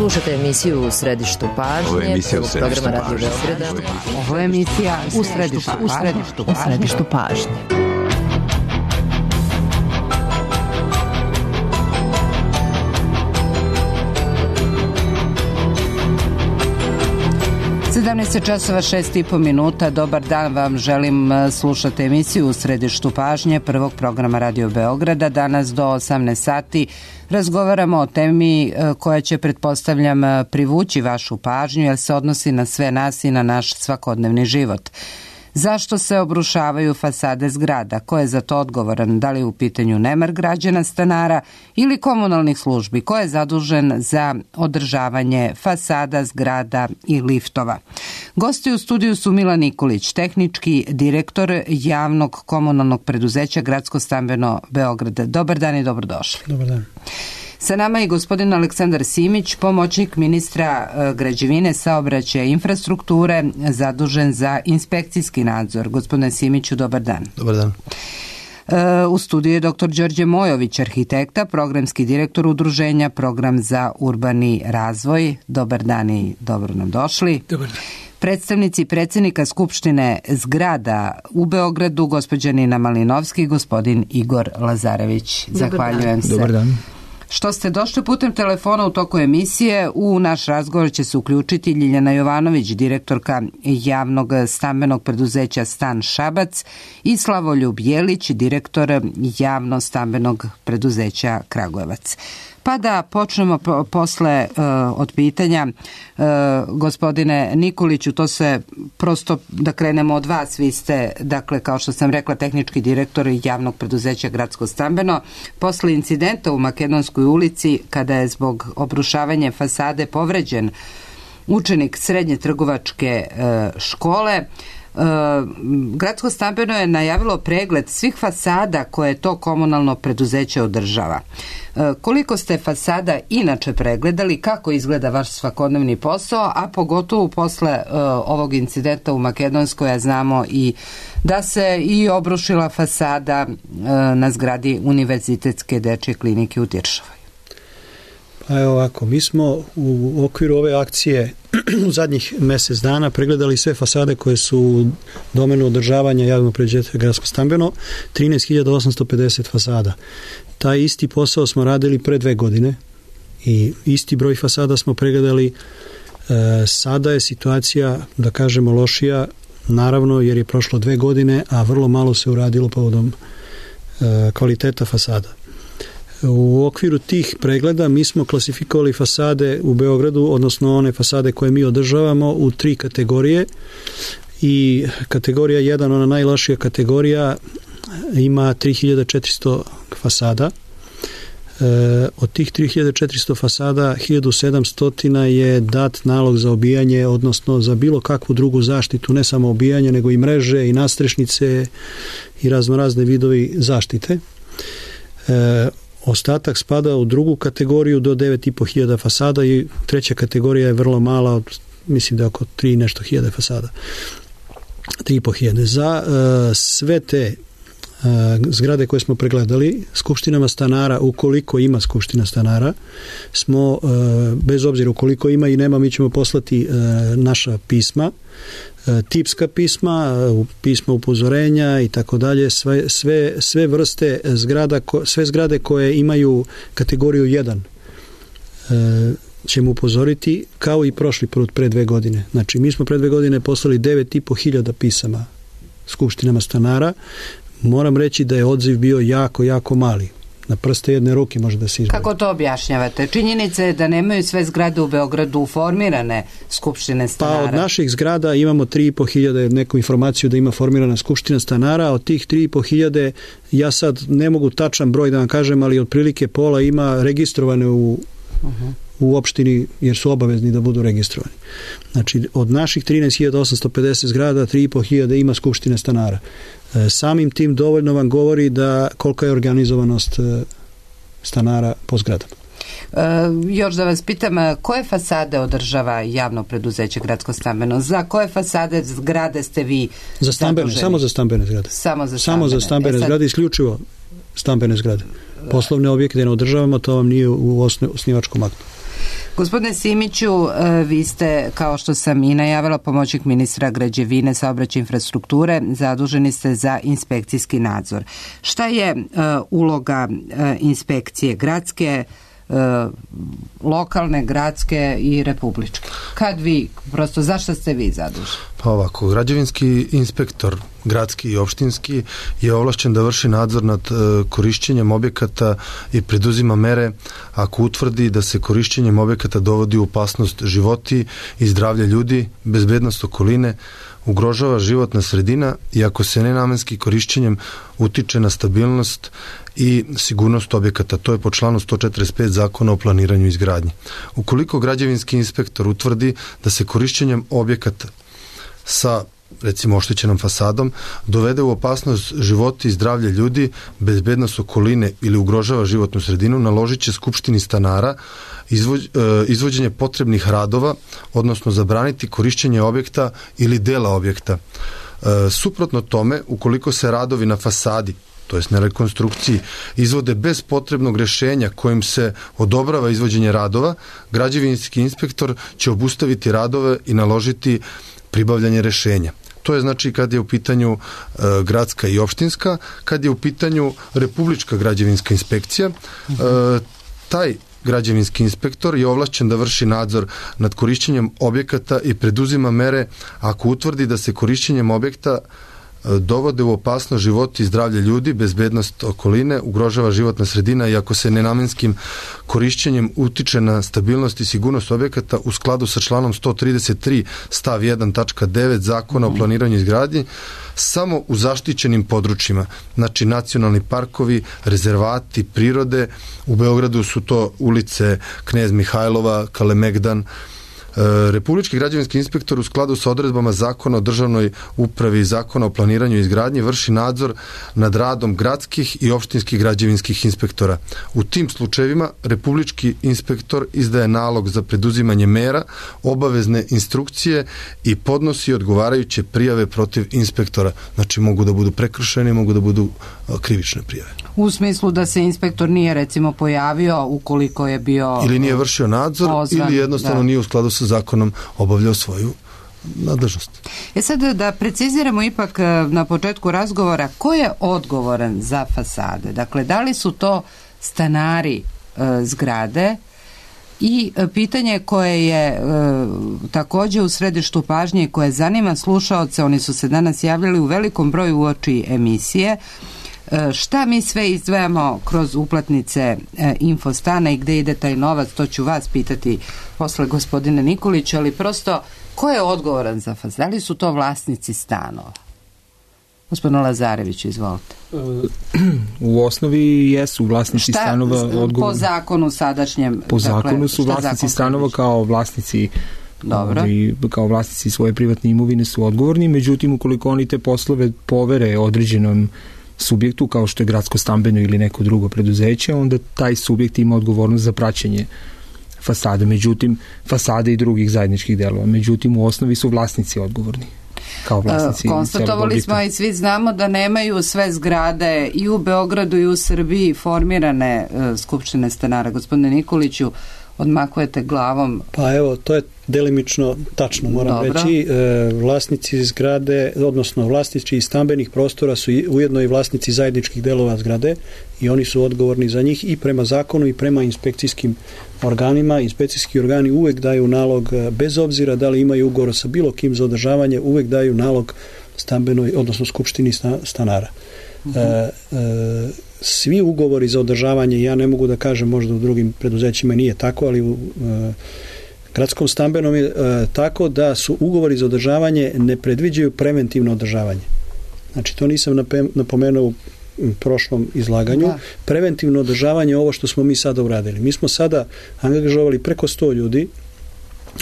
Slušate emisiju U središtu pažnje, prvog programa Radio Beograda. Ovo je emisija U središtu pažnje. Časova 6:30. Dobar dan vam želim. Slušate emisiju U središtu pažnje prvog programa Radio Beograda. Danas do 18 sati razgovaramo o temi koja će, pretpostavljam, privući vašu pažnju jer se odnosi na sve nas i na naš svakodnevni život. Zašto se obrušavaju fasade zgrada? Ko je za to odgovoran? Da li je u pitanju nemar građana, stanara ili komunalnih službi? Ko je zadužen za održavanje fasada zgrada i liftova? Gosti u studiju su Milan Nikolić, tehnički direktor javnog komunalnog preduzeća Gradsko stambeno Beograd. Dobar dan i dobrodošli. Dobar dan. Sa nama je gospodin Aleksandar Simić, pomoćnik ministra građevine, saobraćaja i infrastrukture, zadužen za inspekcijski nadzor. Gospodine Simiću, dobar dan. Dobar dan. U studiju je dr. Đorđe Mojović, arhitekta, programski direktor udruženja Program za urbani razvoj. Dobar dan i dobro nam došli. Dobar dan. Predstavnici predsjednika Skupštine zgrada u Beogradu, gospođa Nina Malinovski i gospodin Igor Lazarević. Zahvaljujem se. Dobar dan. Što ste došli putem telefona u toku emisije, u naš razgovor će se uključiti Ljiljana Jovanović, direktorka javnog stambenog preduzeća Stan Šabac, i Slavoljub Jelić, direktor javno stambenog preduzeća Kragujevac. Pa da počnemo posle od pitanja. Gospodine Nikoliću, to se prosto da krenemo od vas. Vi ste, dakle, kao što sam rekla, tehnički direktor javnog preduzeća Gradsko stambeno. Posle incidenta u Makedonskoj ulici, kada je zbog obrušavanja fasade povređen učenik srednje trgovačke škole, Gradsko stambeno je najavilo pregled svih fasada koje to komunalno preduzeće održava. Koliko ste fasada inače pregledali, kako izgleda vaš svakodnevni posao, a pogotovo posle ovog incidenta u Makedonskoj, a znamo i da se i obrušila fasada na zgradi Univerzitetske dečje klinike u Tiršovoj? Pa evo ovako, mi smo u okviru ove akcije u zadnjih mjesec dana pregledali sve fasade koje su u domenu održavanja javnog preduzeća Gradsko stambeno, 13.850 fasada. Taj isti posao smo radili pre 2 godine i isti broj fasada smo pregledali. Sada je situacija, da kažemo, lošija, naravno jer je prošlo 2 godine, a vrlo malo se uradilo povodom kvaliteta fasada. U okviru tih pregleda mi smo klasifikovali fasade u Beogradu, odnosno one fasade koje mi održavamo, u 3 kategorije. I kategorija 1, ona najlošija kategorija, ima 3400 fasada. Od tih 3400 fasada 1700 je dat nalog za obijanje, odnosno za bilo kakvu drugu zaštitu, ne samo obijanje, nego i mreže i nastrešnice i raznorazne vidovi zaštite. Ostatak spada u drugu kategoriju do 9500 fasada i treća kategorija je vrlo mala, mislim da je oko 3 nešto hiljade fasada. 3500. Za sve te zgrade koje smo pregledali, skupštinama stanara, ukoliko ima skupština stanara, smo, bez obzira ukoliko ima i nema, mi ćemo poslati naša pisma, tipska pisma, pisma upozorenja i tako dalje, sve vrste zgrada, sve zgrade koje imaju kategoriju 1 ćemo upozoriti, kao i prošli put pre 2 godine. Znači, mi smo pre 2 godine poslali 9500 pisama skupštinama stanara. Moram reći da je odziv bio jako, jako mali. Na prste jedne ruke može da se izbori. Kako to objašnjavate? Činjenica je da nemaju sve zgrade u Beogradu formirane skupštine stanara. Pa od naših zgrada imamo 3500, neku informaciju da ima formirana skupština stanara. Od tih 3500, ja sad ne mogu tačan broj da vam kažem, ali otprilike pola ima registrovane u opštini, jer su obavezni da budu registrovani. Znači, od naših 13.850 zgrada, 3500 ima skupštine stanara. Samim tim dovoljno vam govori da kolika je organizovanost stanara po zgradama. Još da vas pitam, koje fasade održava javno preduzeće Gradsko stambeno? Za koje fasade zgrade ste vi za stambene, zaduženi? Samo za stambene zgrade. Samo za stambene zgrade, isključivo stambene zgrade. Poslovne objekte ne održavamo, to vam nije u osnivačkom aktu. Gospodine Simiću, vi ste, kao što sam i najavila, pomoćnik ministra građevine, saobraćaja i infrastrukture, zaduženi ste za inspekcijski nadzor. Šta je uloga inspekcije gradske, lokalne, gradske i republičke? Kad vi, prosto zašto ste vi zaduženi? Pa ovako, građevinski inspektor, gradski i opštinski, je ovlašćen da vrši nadzor nad korišćenjem objekata i preduzima mere ako utvrdi da se korišćenjem objekata dovodi u opasnost životi i zdravlje ljudi, bezbednost okoline, ugrožava životna sredina i ako se nenamenski korišćenjem utiče na stabilnost i sigurnost objekata. To je po članu 145 Zakona o planiranju i izgradnji. Ukoliko građevinski inspektor utvrdi da se korišćenjem objekata sa, recimo, oštećenom fasadom dovede u opasnost životi i zdravlje ljudi, bezbednost okoline ili ugrožava životnu sredinu, naložit će Skupštini stanara izvođenje potrebnih radova, odnosno zabraniti korišćenje objekta ili dela objekta. Suprotno tome, ukoliko se radovi na fasadi, to jest na rekonstrukciji, izvode bez potrebnog rješenja kojim se odobrava izvođenje radova, građevinski inspektor će obustaviti radove i naložiti pribavljanje rješenja. To je znači kad je u pitanju gradska i opštinska. Kad je u pitanju republička građevinska inspekcija, taj građevinski inspektor je ovlašćen da vrši nadzor nad korišćenjem objekata i preduzima mere ako utvrdi da se korišćenjem objekta dovode u opasnost život i zdravlje ljudi, bezbednost okoline, ugrožava životna sredina i ako se nenamenskim korišćenjem utiče na stabilnost i sigurnost objekata u skladu sa članom 133 stav 1 tačka 9 Zakona o planiranju i izgradnji, samo u zaštićenim područjima, znači nacionalni parkovi, rezervati, prirode. U Beogradu su to ulice Knez Mihajlova, Kalemegdan. Republički građevinski inspektor u skladu sa odredbama Zakona o državnoj upravi i Zakona o planiranju i izgradnji vrši nadzor nad radom gradskih i opštinskih građevinskih inspektora. U tim slučajevima republički inspektor izdaje nalog za preduzimanje mera, obavezne instrukcije i podnosi odgovarajuće prijave protiv inspektora. Znači mogu da budu prekršajne, mogu da budu krivične prijave. U smislu da se inspektor nije recimo pojavio ukoliko je bio ili nije vršio nadzor pozvan, ili jednostavno nije u skladu sa zakonom obavljao svoju nadležnost. Sad da preciziramo ipak na početku razgovora, ko je odgovoran za fasade? Dakle, da li su to stanari zgrade? I pitanje koje je također u središtu pažnje i koje zanima slušaoce, oni su se danas javljali u velikom broju uoči emisije, šta mi sve izdvajamo kroz uplatnice Infostana i gde ide taj novac, to ću vas pitati posle gospodine Nikolić, ali prosto ko je odgovoran za fasade? Da li su to vlasnici stanova? Gospodin Lazarević, izvolite. U osnovi jesu vlasnici stanova odgovorni. Po zakonu sadašnjem? Po zakonu su vlasnici stanova kao vlasnici kao vlasnici svoje privatne imovine su odgovorni, međutim ukoliko oni te poslove povere određenom subjektu kao što je gradsko stambeno ili neko drugo preduzeće, onda taj subjekt ima odgovornost za praćenje fasade, međutim fasade i drugih zajedničkih delova, međutim u osnovi su vlasnici odgovorni. Konstatovali smo i svi znamo da nemaju sve zgrade i u Beogradu i u Srbiji formirane skupštine stanara. Gospodine Nikoliću, odmakujete glavom. Pa evo, to je delimično tačno, moram reći. Vlasnici zgrade, odnosno vlasnici stambenih prostora su ujedno i vlasnici zajedničkih delova zgrade i oni su odgovorni za njih i prema zakonu i prema inspekcijskim organima. Inspekcijski organi uvek daju nalog, bez obzira da li imaju ugovor sa bilo kim za održavanje, uvek daju nalog stambenoj, odnosno skupštini stanara. Svi ugovori za održavanje, ja ne mogu da kažem, možda u drugim preduzećima nije tako, ali u gradskom stambenom je tako da su ugovori za održavanje ne predviđaju preventivno održavanje. Znači, to nisam napomenuo u prošlom izlaganju. Preventivno održavanje je ovo što smo mi sada uradili. Mi smo sada angažovali preko 100 ljudi,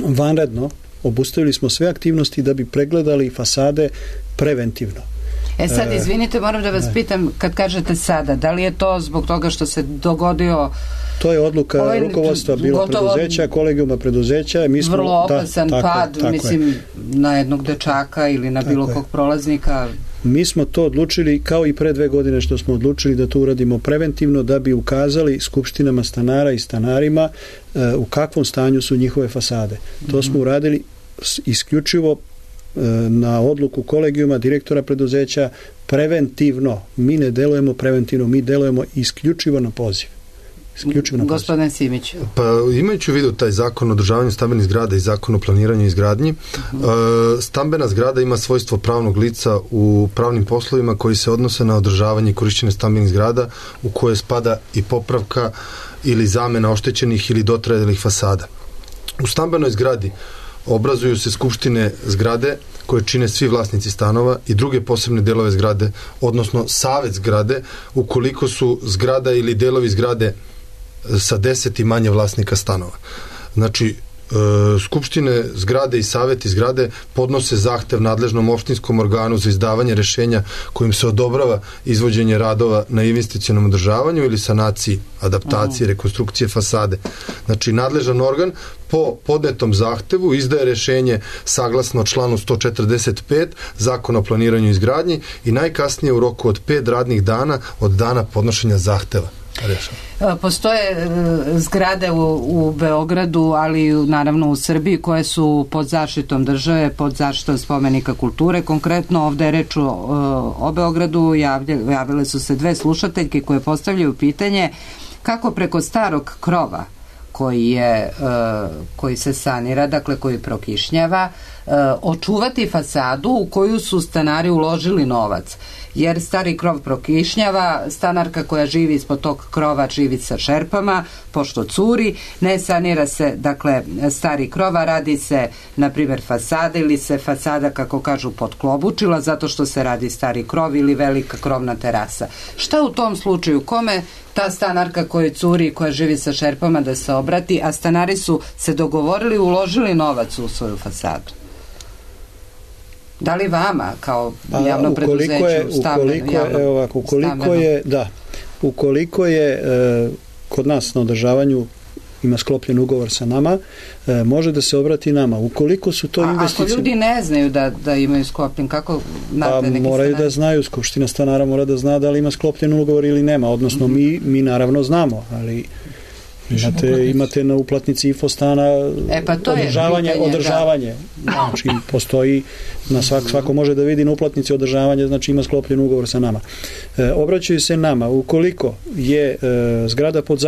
vanredno, obustavili smo sve aktivnosti da bi pregledali fasade preventivno. Sad, izvinite, moram da vas pitam, kad kažete sada, da li je to zbog toga što se dogodio... To je odluka rukovodstva bilo preduzeća, kolegijuma preduzeća. Mi smo, vrlo opasan pad, mislim, na jednog dečaka ili na bilo kog prolaznika. Mi smo to odlučili kao i pre 2 godine što smo odlučili da to uradimo preventivno, da bi ukazali skupštinama stanara i stanarima u kakvom stanju su njihove fasade. To smo uradili isključivo na odluku kolegijuma, direktora preduzeća, preventivno. Mi ne delujemo preventivno, mi delujemo isključivo na poziv. Gospodin Simić. Pa imajući u vidu taj zakon o održavanju stambenih zgrada i zakon o planiranju i izgradnji, stambena zgrada ima svojstvo pravnog lica u pravnim poslovima koji se odnose na održavanje i korišćenje stambenih zgrada u koje spada i popravka ili zamena oštećenih ili dotrajalih fasada. U stambenoj zgradi obrazuju se skupštine zgrade koje čine svi vlasnici stanova i druge posebne delove zgrade, odnosno savet zgrade, ukoliko su zgrada ili delovi zgrade sa 10 i manje vlasnika stanova. Znači, skupštine zgrade i saveti zgrade podnose zahtev nadležnom opštinskom organu za izdavanje rešenja kojim se odobrava izvođenje radova na investicionom održavanju ili sanaciji, adaptaciji, rekonstrukcije fasade. Znači, nadležan organ po podnetom zahtevu izdaje rešenje saglasno članu 145 Zakona o planiranju i izgradnji i najkasnije u roku od 5 radnih dana od dana podnošenja zahteva. Postoje zgrade u Beogradu, ali naravno u Srbiji, koje su pod zaštitom države, pod zaštitom spomenika kulture. Konkretno ovde je reč o Beogradu, javile su se 2 slušateljke koje postavljaju pitanje kako preko starog krova koji se sanira, dakle koji prokišnjava, očuvati fasadu u koju su stanari uložili novac. Jer stari krov prokišnjava, stanarka koja živi ispod tog krova živi sa šerpama, pošto curi, ne sanira se, dakle, stari krova, radi se, na primjer, fasada ili se fasada, kako kažu, potklobučila zato što se radi stari krov ili velika krovna terasa. Šta u tom slučaju? Kome ta stanarka koja curi, koja živi sa šerpama da se obrati, a stanari su se dogovorili, uložili novac u svoju fasadu? Da li vama kao javno preduzeće ukoliko je kod nas na održavanju ima sklopljen ugovor sa nama, može da se obrati nama. Ukoliko su to investicije... Ako ljudi ne znaju da imaju sklopljen, kako znate neki moraju stanari? Da znaju, skupština stanara mora da zna da li ima sklopljen ugovor ili nema, odnosno mi naravno znamo, ali imate na uplatnici infostana održavanje. Znači, postoji, svako može da vidi na uplatnici održavanje, znači ima sklopljen ugovor sa nama. Obraćaju se nama, ukoliko je zgrada pod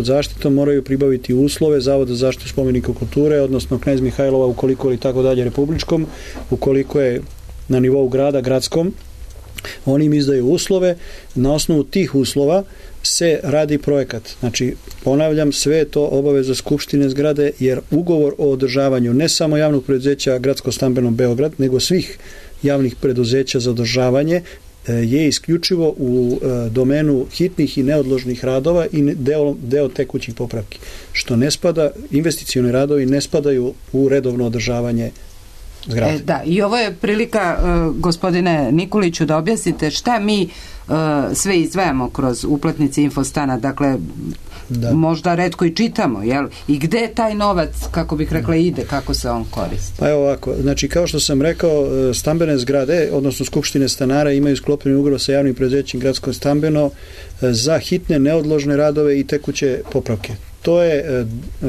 zaštitom, moraju pribaviti uslove Zavoda za zaštitu spomenika kulture, odnosno Knez Mihajlova, ukoliko ili tako dalje republičkom, ukoliko je na nivou grada, gradskom, oni im izdaju uslove, na osnovu tih uslova se radi projekat. Znači, ponavljam, sve je to obaveza skupštine zgrade, jer ugovor o održavanju ne samo javnog preduzeća Gradsko stambeno Beograd, nego svih javnih preduzeća za održavanje je isključivo u domenu hitnih i neodložnih radova i deo tekućih popravki. Što ne spada, investicioni radovi ne spadaju u redovno održavanje zgrade. Da, i ovo je prilika, gospodine Nikoliću, da objasnite šta mi sve izdvajamo kroz uplatnice Infostana, dakle možda retko i čitamo, jel? I gde taj novac, kako bih rekla, ide, kako se on koristi? Pa evo ovako, znači kao što sam rekao, stambene zgrade, odnosno skupštine stanara imaju sklopljeni ugovor sa javnim preduzećem Gradsko stambeno za hitne, neodložne radove i tekuće popravke. To je,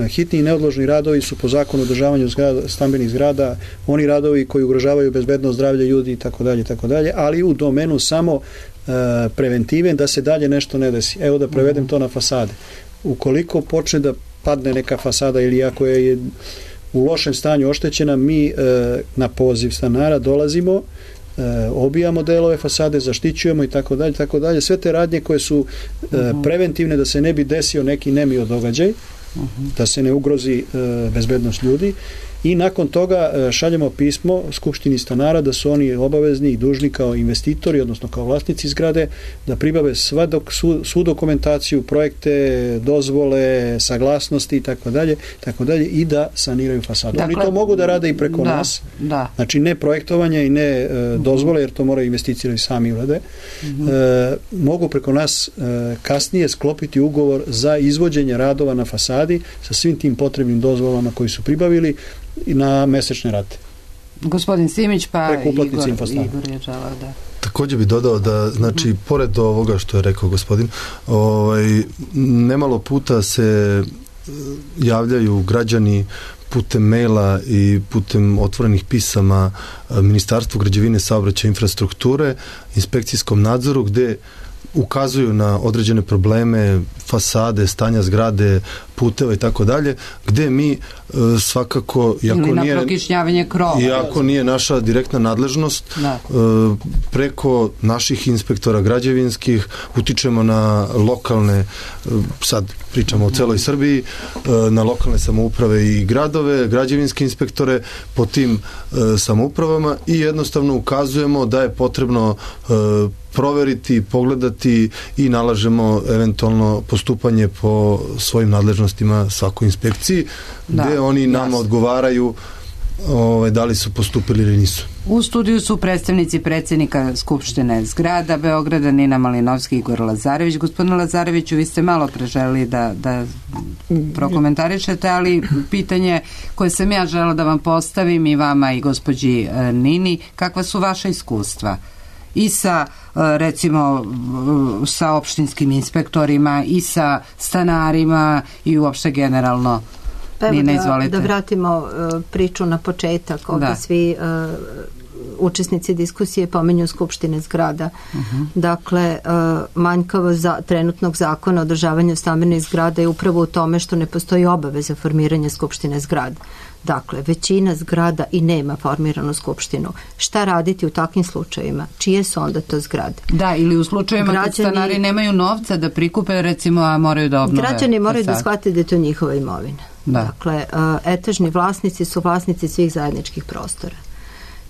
hitni i neodložni radovi su po zakonu o održavanju stambenih zgrada, oni radovi koji ugrožavaju bezbednost zdravlja ljudi i tako dalje, ali u domenu samo preventive da se dalje nešto ne desi. Evo da prevedem to na fasade. Ukoliko počne da padne neka fasada ili ako je u lošem stanju oštećena, mi na poziv stanara dolazimo, obijamo delove fasade, zaštićujemo i tako dalje. Sve te radnje koje su preventivne da se ne bi desio neki nemio događaj, da se ne ugrozi bezbednost ljudi, i nakon toga šaljemo pismo skupštini stanara da su oni obavezni i dužni kao investitori, odnosno kao vlasnici zgrade, da pribave svu dokumentaciju, projekte, dozvole, saglasnosti i tako dalje i da saniraju fasadu. Dakle, oni to mogu da rade i preko nas. Da. Znači ne projektovanje i ne dozvole, jer to moraju investitori sami urade. Mogu preko nas kasnije sklopiti ugovor za izvođenje radova na fasadi sa svim tim potrebnim dozvolama koji su pribavili i na mesečne rate. Gospodin Simić, pa Igor je želao da... Također bi dodao da, znači, pored ovoga što je rekao gospodin, nemalo puta se javljaju građani putem maila i putem otvorenih pisama Ministarstvu građevine, saobraćaja i infrastrukture, inspekcijskom nadzoru, gde ukazuju na određene probleme, fasade, stanja zgrade, puteva i tako dalje, gde mi svakako, iako nije naša direktna nadležnost, preko naših inspektora građevinskih utičemo na lokalne, sad pričamo o celoj Srbiji, na lokalne samouprave i gradove, građevinske inspektore po tim samoupravama i jednostavno ukazujemo da je potrebno proveriti, pogledati i nalažemo eventualno postupanje po svojim nadležnostima svakoj inspekciji, gde oni nama odgovaraju da li su postupili ili nisu. U studiju su predstavnici predsjednika Skupštine zgrada Beograda, Nina Malinovski i Igor Lazarević. Gospodine Lazareviću, vi ste malo preželi da prokomentarišete, ali pitanje koje sam ja žela da vam postavim i vama i gospođi Nini, kakva su vaša iskustva? I sa, recimo, sa opštinskim inspektorima i sa stanarima i uopšte generalno. Nina, izvolite. Da vratimo priču na početak. Ovdje svi učesnici diskusije pomenju Skupštine zgrada. Dakle, manjkavost trenutnog zakona o održavanju stambenih zgrada je upravo u tome što ne postoji obaveza formiranja Skupštine zgrada. Dakle, većina zgrada i nema formiranu skupštinu. Šta raditi u takvim slučajevima? Čije su onda to zgrade? Da, ili u slučajevima kad stanari nemaju novca da prikupe, recimo, a moraju da obnove. Građani moraju da shvate da je to njihova imovina. Dakle, etažni vlasnici su vlasnici svih zajedničkih prostora.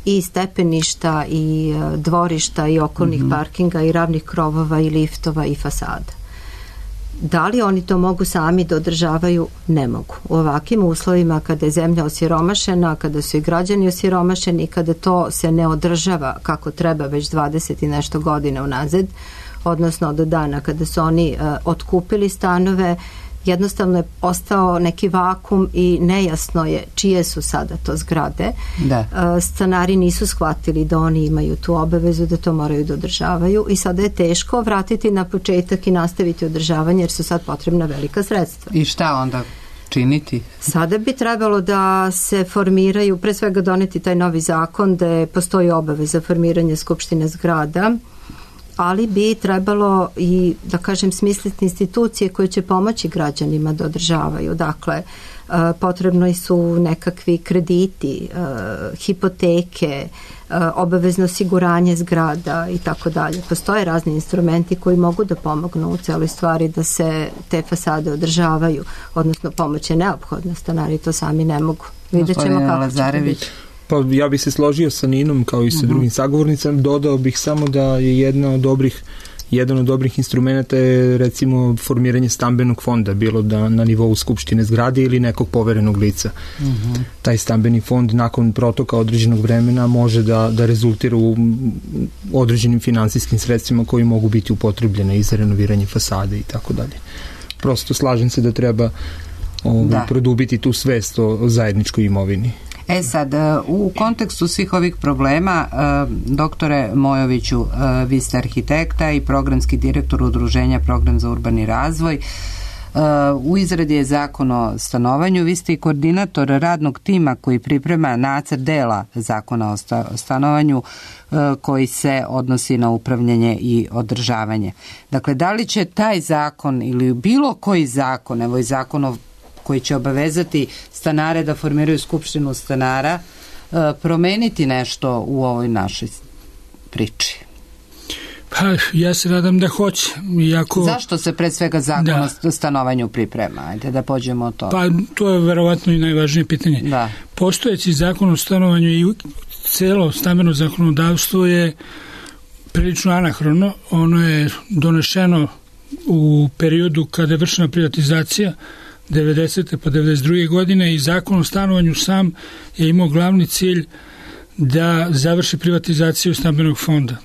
I stepeništa, i dvorišta, i okolnih parkinga, i ravnih krovova, i liftova, i fasada. Da li oni to mogu sami da održavaju? Ne mogu. U ovakvim uslovima kada je zemlja osiromašena, kada su i građani osiromašeni, kada to se ne održava kako treba već 20 i nešto godina unazad, odnosno od dana kada su oni otkupili stanove, jednostavno je ostao neki vakum i nejasno je čije su sada to zgrade. Stanari nisu shvatili da oni imaju tu obavezu, da to moraju da održavaju i sada je teško vratiti na početak i nastaviti održavanje jer su sad potrebna velika sredstva. I šta onda činiti? Sada bi trebalo da se formiraju, pre svega doneti taj novi zakon da postoji obaveza formiranja Skupštine zgrada, ali bi trebalo i, da kažem, smisliti institucije koje će pomoći građanima da održavaju. Dakle, potrebno su nekakvi krediti, hipoteke, obavezno osiguranje zgrada i tako dalje. Postoje razni instrumenti koji mogu da pomognu u celoj stvari da se te fasade održavaju, odnosno pomoć je neophodna, stanari to sami ne mogu. Vidjet ćemo kako će biti. Pa ja bih se složio sa Ninom kao i sa drugim sagovornicama, dodao bih samo da je jedan od dobrih instrumenta je recimo formiranje stambenog fonda, bilo da na nivou Skupštine zgrade ili nekog poverenog lica. Taj stambeni fond nakon protoka određenog vremena može da rezultira u određenim finansijskim sredstvima koji mogu biti upotrebljene i za renoviranje fasade i tako dalje. Prosto slažem se da treba produbiti tu svest o zajedničkoj imovini. Sad, u kontekstu svih ovih problema, doktore Mojoviću, vi ste arhitekta i programski direktor Udruženja Program za urbani razvoj. U izradi je zakon o stanovanju, vi ste i koordinator radnog tima koji priprema nacrt dela zakona o stanovanju koji se odnosi na upravljanje i održavanje. Dakle, da li će taj zakon ili bilo koji zakon, evo i zakon koji će obavezati stanare da formiraju skupštinu stanara, promeniti nešto u ovoj našoj priči? Pa, ja se nadam da hoće. Zašto se pre svega zakon o stanovanju priprema? Ajde da pođemo od toga. Pa, to je verovatno i najvažnije pitanje. Postojeći zakon o stanovanju i celo stambeno zakonodavstvo je prilično anahrono. Ono je donešeno u periodu kada je vršena privatizacija 90. pa 92. godine i zakon o stanovanju sam je imao glavni cilj da završi privatizaciju stambenog fonda.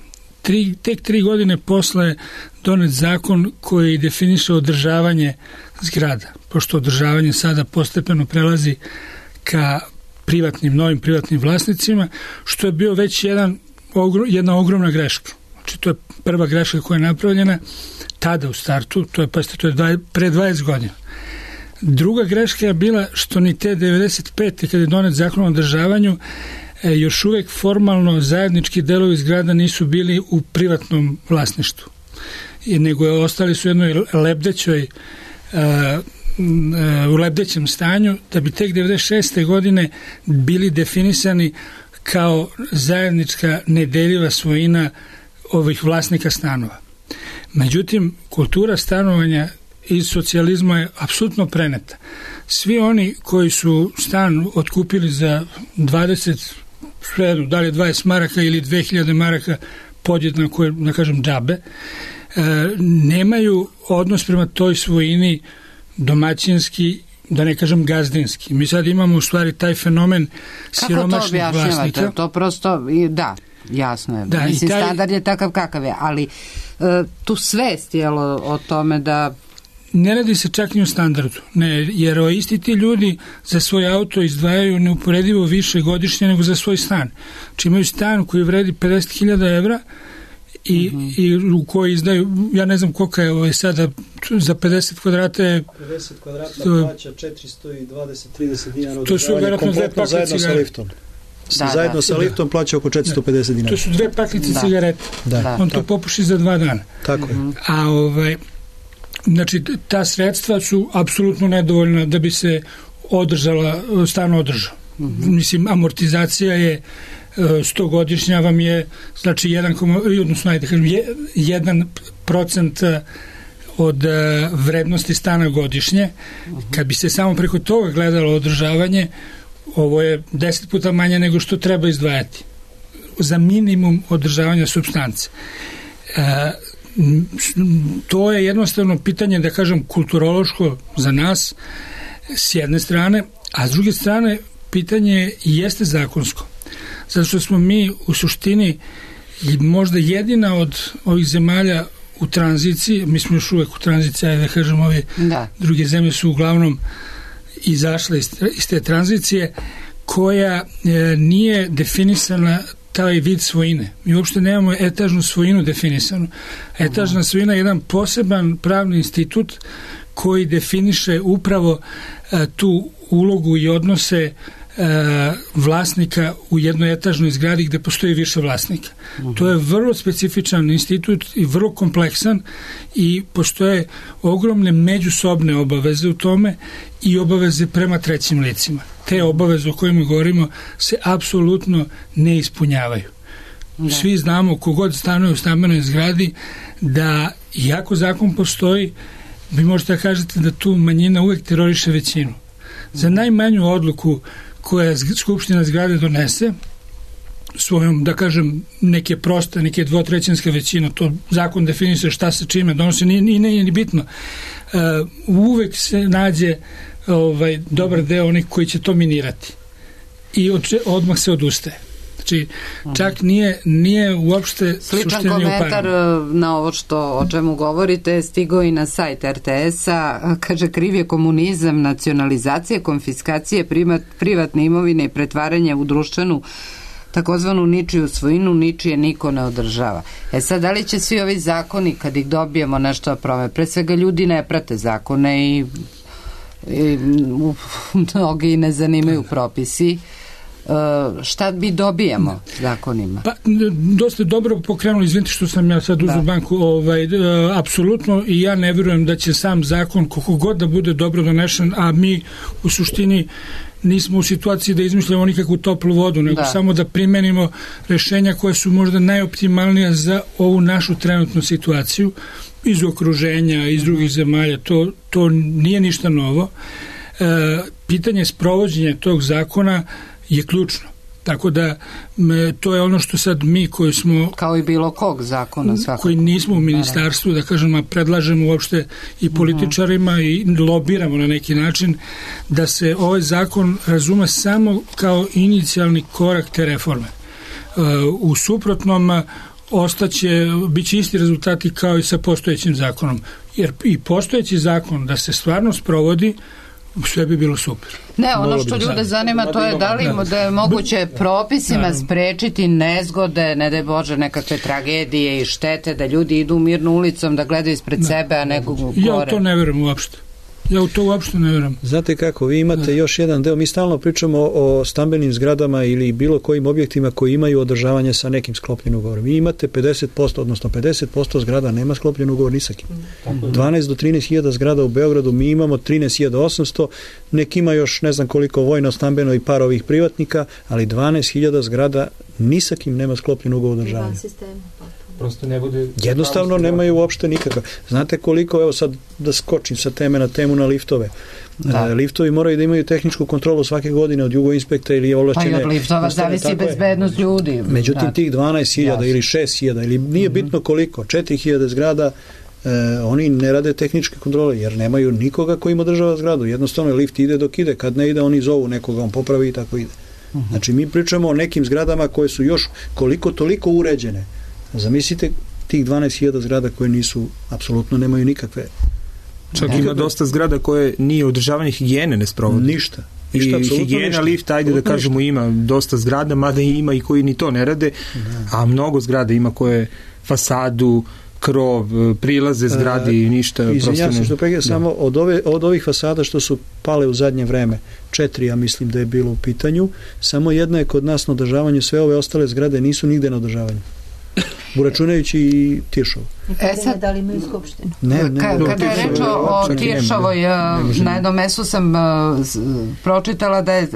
Tek 3 godine posle donet zakon koji definiše održavanje zgrada, pošto održavanje sada postepeno prelazi ka novim privatnim vlasnicima, što je bio već jedna ogromna greška. Znači, to je prva greška koja je napravljena tada u startu, to je pre 20 godina. Druga greška je bila što ni te 95. kada je donet zakon o održavanju, još uvek formalno zajednički delovi zgrada nisu bili u privatnom vlasništvu, nego ostali su u jednoj u lebdećem stanju, da bi tek 96. godine bili definisani kao zajednička nedeljiva svojina ovih vlasnika stanova. Međutim, kultura stanovanja iz socijalizma je apsolutno preneta. Svi oni koji su stan otkupili za 20, da li je 20 maraka ili 2000 maraka podjednako, da kažem, džabe, nemaju odnos prema toj svojini domaćinski, da ne kažem gazdinski. Mi sad imamo u stvari taj fenomen siromašnih vlasnika. Kako to objašnjavate? To prosto, da, jasno je. Da, mislim, standard je takav kakav je, ali tu svest je o tome da... Ne radi se čak ni o standardu, jer isti ti ljudi za svoj auto izdvajaju neuporedivo više godišnje nego za svoj stan. Znači imaju stan koji vredi 50.000 evra i u koji izdaju, ja ne znam koliko je sada, za 50 kvadrata je... 50 kvadrata plaća 420-30 dinara to su vjerojatno dve paklice zajedno sa liftom. Zajedno sa liftom plaća oko 450 dinara. To su dve paklice cigarete. On to popuši za 2 dana. Tako je. A znači, ta sredstva su apsolutno nedovoljna da bi se stan održao. Mislim, amortizacija je 100-godišnja vam je, znači 1% od vrednosti stana godišnje. Kad bi se samo preko toga gledalo održavanje, ovo je 10 puta manje nego što treba izdvajati za minimum održavanja supstance. To je jednostavno pitanje, da kažem, kulturološko za nas s jedne strane, a s druge strane pitanje jeste zakonsko. Zato što smo mi u suštini možda jedina od ovih zemalja u tranziciji, mi smo još uvek u tranziciji, da kažem, ove druge zemlje su uglavnom izašle iz te tranzicije, koja nije definisana taj vid svojine. Mi uopšte nemamo etažnu svojinu definisanu. Etažna svojina je jedan poseban pravni institut koji definiše upravo tu ulogu i odnose vlasnika u jednoj etažnoj zgradi gde postoji više vlasnika. To je vrlo specifičan institut i vrlo kompleksan i postoje ogromne međusobne obaveze u tome i obaveze prema trećim licima. Te obaveze o kojima govorimo se apsolutno ne ispunjavaju. Svi znamo, kogod stanuje u stambenoj zgradi, da iako zakon postoji, vi možete da kažete da tu manjina uvek teroriše većinu. Za najmanju odluku koja skupština zgrade donese svojom, da kažem, neke proste, neke dvotrećinske većine, to zakon definiše šta se čime donosi, nije ni bitno. Uvek se nađe dobar deo onih koji će to minirati i odmah se odustaje. Znači, čak nije uopšte sličan komentar na ovo o čemu govorite stigao i na sajt RTS-a. Kaže, kriv je komunizam, nacionalizacija, konfiskacije privatne imovine i pretvaranje u društvenu takozvanu ničiju svojinu, ničije niko ne održava. Sad, da li će svi ovi zakoni, kad ih dobijemo, nešto prome? Pre svega, ljudi ne prate zakone i mnogi ne zanimaju propisi. Šta bi dobijamo zakonima? Pa, dosta dobro pokrenuli, izvinite što sam ja sad uzeo banku, apsolutno, i ja ne vjerujem da će sam zakon, koliko god da bude dobro donešen, a mi u suštini nismo u situaciji da izmišljamo nikakvu toplu vodu, nego samo da primenimo rešenja koja su možda najoptimalnija za ovu našu trenutnu situaciju iz okruženja, iz drugih zemalja. To nije ništa novo. Pitanje sprovođenja tog zakona je ključno. Tako da to je ono što sad mi koji smo... Kao i bilo kog zakona svakako. Koji nismo u ministarstvu, da kažem, predlažemo uopšte i političarima i lobiramo na neki način da se ovaj zakon razume samo kao inicijalni korak te reforme. U suprotnom biće isti rezultati kao i sa postojećim zakonom. Jer i postojeći zakon da se stvarno sprovodi sve bi bilo super. Ne, ono što ljude zanima to je da li da je moguće propisima sprečiti nezgode, ne daj Bože, nekakve tragedije i štete, da ljudi idu mirno ulicom, da gledaju ispred sebe, a nego gore. Ja u to ne verujem uopšte. Ja u to uopšte ne verujem. Znate kako, vi imate još jedan deo, mi stalno pričamo o stambenim zgradama ili bilo kojim objektima koji imaju održavanje sa nekim sklopljenim ugovorom. Vi imate 50%, odnosno 50% zgrada nema sklopljen ugovor ni sa kim. 12 do 13.000 zgrada u Beogradu, mi imamo 13.800, neki ima još ne znam koliko vojno, stambeno i par ovih privatnika, ali 12.000 zgrada ni sa kim nema sklopljen ugovor održavanja. Prosto ne bude... Jednostavno nemaju uopšte nikakav. Znate koliko, evo sad da skočim sa teme na temu na liftove. Liftovi moraju da imaju tehničku kontrolu svake godine od jugoinspekta ili ovlašćene... Pa i od liftova zavisi bezbednost ljudi. Međutim, tih 12.000 ili 6.000 ili nije bitno koliko, 4.000 zgrada, oni ne rade tehničke kontrole jer nemaju nikoga koji im održava zgradu. Jednostavno lift ide dok ide, kad ne ide oni zovu nekoga, on popravi i tako ide. Znači mi pričamo o nekim zgradama koje su još koliko toliko uređene. Zamislite tih 12.000 zgrada koje nisu, apsolutno nemaju nikakve. Čak ima dosta zgrada koje nije održavanje higijene ne sprovodi. Ništa. I higijena, lift, ajde da kažemo, ima dosta zgrada, mada ima i koji ni to ne rade, a mnogo zgrada ima koje fasadu, krov, prilaze zgradi i ništa. Izvinjam se što pregledam, samo od ovih fasada što su pale u zadnje vreme, 4 ja mislim da je bilo u pitanju, samo jedna je kod nas na održavanju, sve ove ostale zgrade nisu nigde na održavanju. Uračunajući i Tiršovu. Sad, da li imaju skupštinu? Kada je reč o Tiršovoj, na jednom mestu sam pročitala da je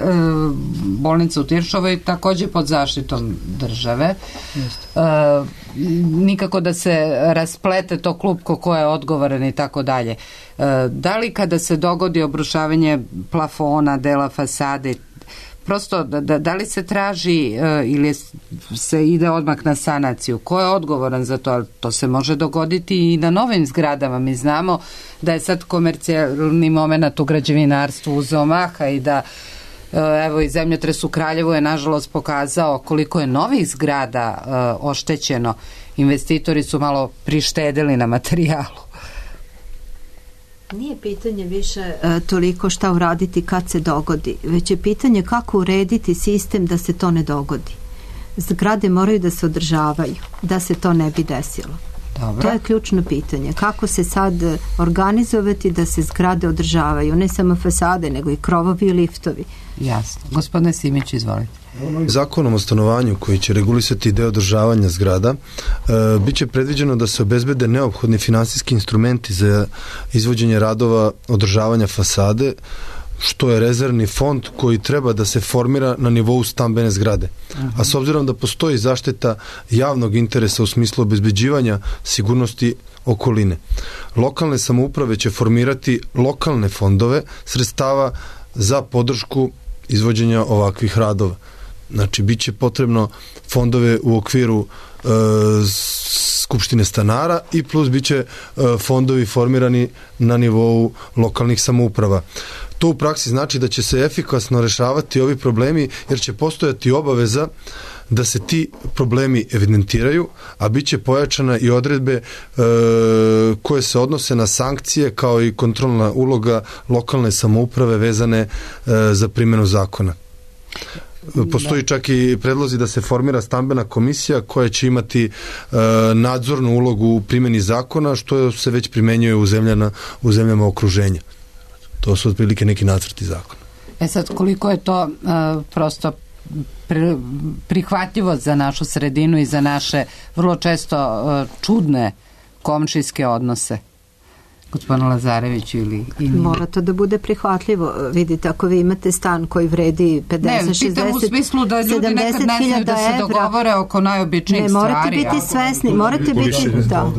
bolnica u Tiršovoj takođe pod zaštitom države. Nikako da se rasplete to klupko ko je odgovoran i tako dalje. Da li kada se dogodi obrušavanje plafona, dela fasade, prosto, da li se traži ili se ide odmah na sanaciju? Ko je odgovoran za to? To se može dogoditi i na novim zgradama. Mi znamo da je sad komercijalni moment u građevinarstvu uzeo maha i da evo i zemljotres u Kraljevu je nažalost pokazao koliko je novih zgrada oštećeno. Investitori su malo prištedili na materijalu. Nije pitanje više toliko šta uraditi kad se dogodi, već je pitanje kako urediti sistem da se to ne dogodi. Zgrade moraju da se održavaju, da se to ne bi desilo. Dobro. To je ključno pitanje. Kako se sad organizovati da se zgrade održavaju, ne samo fasade, nego i krovovi i liftovi. Jasno. Gospodine Simić, izvolite. Zakonom o stanovanju koji će regulisati deo održavanja zgrada biće predviđeno da se obezbede neophodni finansijski instrumenti za izvođenje radova održavanja fasade, što je rezervni fond koji treba da se formira na nivou stambene zgrade. A s obzirom da postoji zaštita javnog interesa u smislu obezbeđivanja sigurnosti okoline, lokalne samouprave će formirati lokalne fondove sredstava za podršku izvođenja ovakvih radova. Znači, bit će potrebno fondove u okviru Skupštine stanara i plus bit će fondovi formirani na nivou lokalnih samouprava. To u praksi znači da će se efikasno rešavati ovi problemi jer će postojati obaveza da se ti problemi evidentiraju, a bit će pojačana i odredbe koje se odnose na sankcije kao i kontrolna uloga lokalne samouprave vezane za primjenu zakona. Postoji čak i predlozi da se formira stambena komisija koja će imati nadzornu ulogu u primjeni zakona, što se već primenjuje u zemljama okruženja. To su otprilike neki nacrti zakona. Sad, koliko je to prosto prihvatljivo za našu sredinu i za naše vrlo često čudne komšijske odnose? Gospodin Lazarević ili... Mora to da bude prihvatljivo. Vidite, ako vi imate stan koji vredi 50, 60, 70.000 evra... Ne, pitam u smislu da ljudi nekad ne znaju da se dogovore oko najobičnijih stvari. Ne, morate biti svesni, morate biti...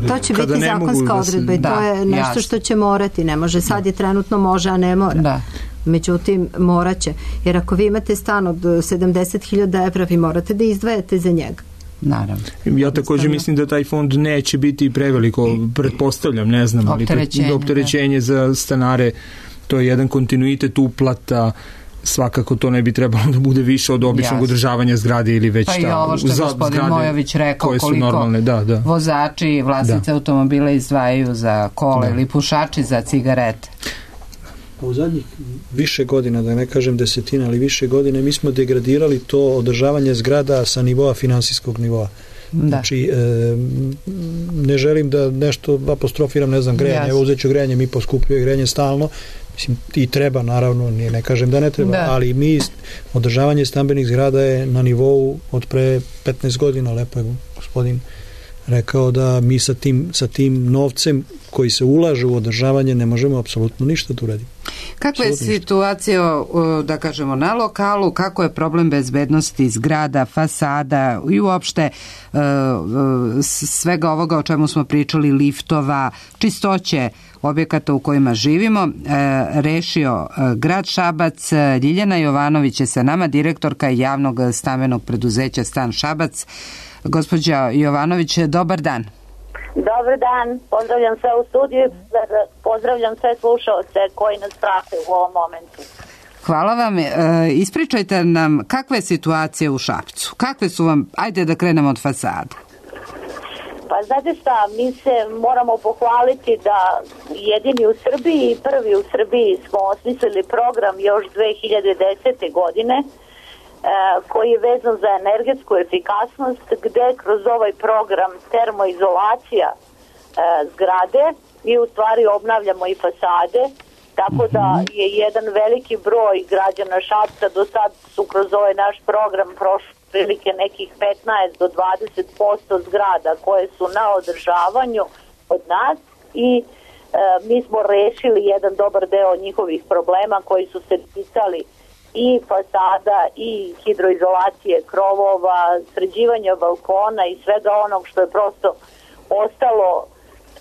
To će biti zakonska odredba i to je nešto što će morati. Ne može, sad je trenutno može, a ne mora. Da. Međutim, morat će. Jer ako vi imate stan od 70.000 evra, vi morate da izdvajate za njega. Naravno. Ja također mislim da taj fond neće biti preveliko, pretpostavljam, ne znam, ali opterećenje za stanare, to je jedan kontinuitet uplata, svakako to ne bi trebalo da bude više od običnog održavanja zgrade ili već pa i ovo što je gospodin Mojović rekao, koliko normalne, vozači i vlasnice automobila izdvajaju za kola ili pušači za cigarete. U zadnjih više godina, da ne kažem desetina, ali više godine, mi smo degradirali to održavanje zgrada sa nivoa finansijskog nivoa. Da. Znači, ne želim da nešto apostrofiram, ne znam, grejanje, evo uzet ću grejanje, mi poskupljuje grejanje stalno, mislim, i treba, naravno, ne kažem da ne treba, ali mi, održavanje stambenih zgrada je na nivou od pre 15 godina, lepo je gospodin rekao da mi sa tim novcem koji se ulaže u održavanje ne možemo apsolutno ništa da uradimo. Kakva je situacija, da kažemo, na lokalu, kako je problem bezbednosti zgrada, fasada i uopšte svega ovoga o čemu smo pričali, liftova, čistoće objekata u kojima živimo, rešio grad Šabac. Ljiljana Jovanović je sa nama, direktorka javnog stambenog preduzeća Stan Šabac. Gospođa Jovanović, dobar dan. Dobar dan, pozdravljam sve u studiju, pozdravljam sve slušaoce koji nas prate u ovom momentu. Hvala vam. Ispričajte nam kakva je situacija u Šapcu. Kakve su vam, ajde da krenemo od fasade. Pa znate šta, mi se moramo pohvaliti da jedini u Srbiji i prvi u Srbiji smo osmislili program još 2010. godine koji je vezan za energetsku efikasnost, gde kroz ovaj program termoizolacija zgrade mi u stvari obnavljamo i fasade, tako da je jedan veliki broj građana Šapca do sad su kroz ovaj naš program prošli prilike nekih 15 do 20% zgrada koje su na održavanju od nas i mi smo rešili jedan dobar deo njihovih problema koji su se ticali i fasada i hidroizolacije krovova, sređivanja balkona i svega onog što je prosto ostalo